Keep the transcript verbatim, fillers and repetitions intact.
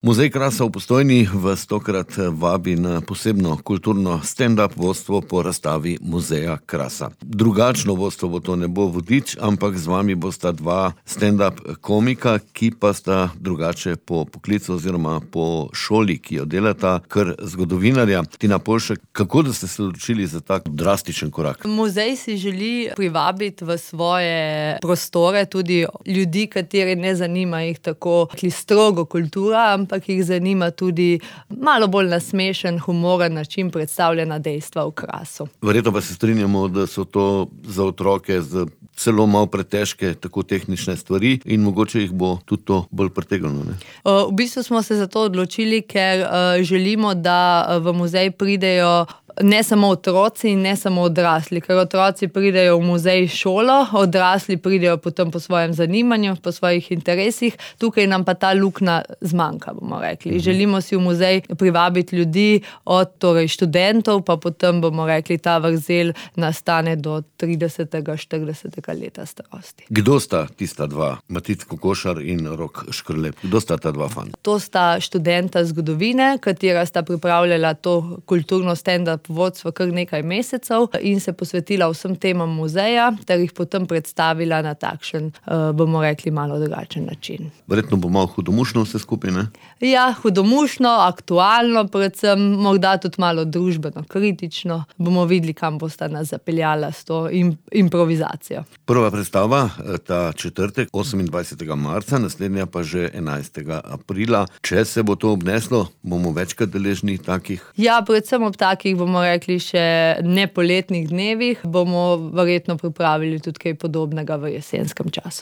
Muzej Krasa v Postojni vas tokrat vabi na posebno kulturno stand-up vodstvo po razstavi Muzeja Krasa. Drugačno vodstvo bo to, ne bo vodič, ampak z vami bosta dva stand-up komika, ki pa sta drugače po poklicu oziroma po šoli, ki jo delata, kar zgodovinarja. Tina Polšek, kako da ste se odločili za tak drastičen korak? Muzej si želi privabiti v svoje prostore tudi ljudi, kateri ne zanima jih tako strogo kultura, ampak jih zanima tudi malo bolj nasmešen, humoren način predstavljena dejstva v Krasu. Verjetno pa se strinjamo, da so to za otroke z celo malo pretežke, tako tehnične stvari in mogoče jih bo tudi to bolj pritegnilo, ne? V bistvu smo se za to odločili, ker želimo, da v muzej pridejo ne samo otroci in ne samo odrasli, ker otroci pridejo v muzej šolo, odrasli pridejo potem po svojem zanimanju, po svojih interesih, tukaj nam pa ta luknja zmanjka, bomo rekli. Mhm. Želimo si v muzej privabiti ljudi od torej študentov, pa potem bomo rekli, ta vrzel nastane do tridesetega, štiridesetega leta starosti. Kdo sta tista dva? Matic Kokošar in Rok Škrlep. Kdo sta ta dva fanta? To sta študenta zgodovine, katera sta pripravljala to kulturno stand-up vodstvo kar nekaj mesecev in se posvetila vsem temam muzeja, ter jih potem predstavila na takšen, bomo rekli, malo drugačen način. Verjetno bo malo hudomušno vse skupaj, ne? Ja, hudomušno, aktualno, predvsem morda tudi malo družbeno, kritično. Bomo videli, kam bosta nas zapeljala s to improvizacijo. Prva predstava, ta četrtek, osemindvajsetega marca, naslednja pa že enajstega aprila. Če se bo to obneslo, bomo večkrat deležni takih? Ja, predvsem ob takih, bomo rekli, še nepoletnih dnevih, bomo verjetno pripravili tudi kaj podobnega v jesenskem času.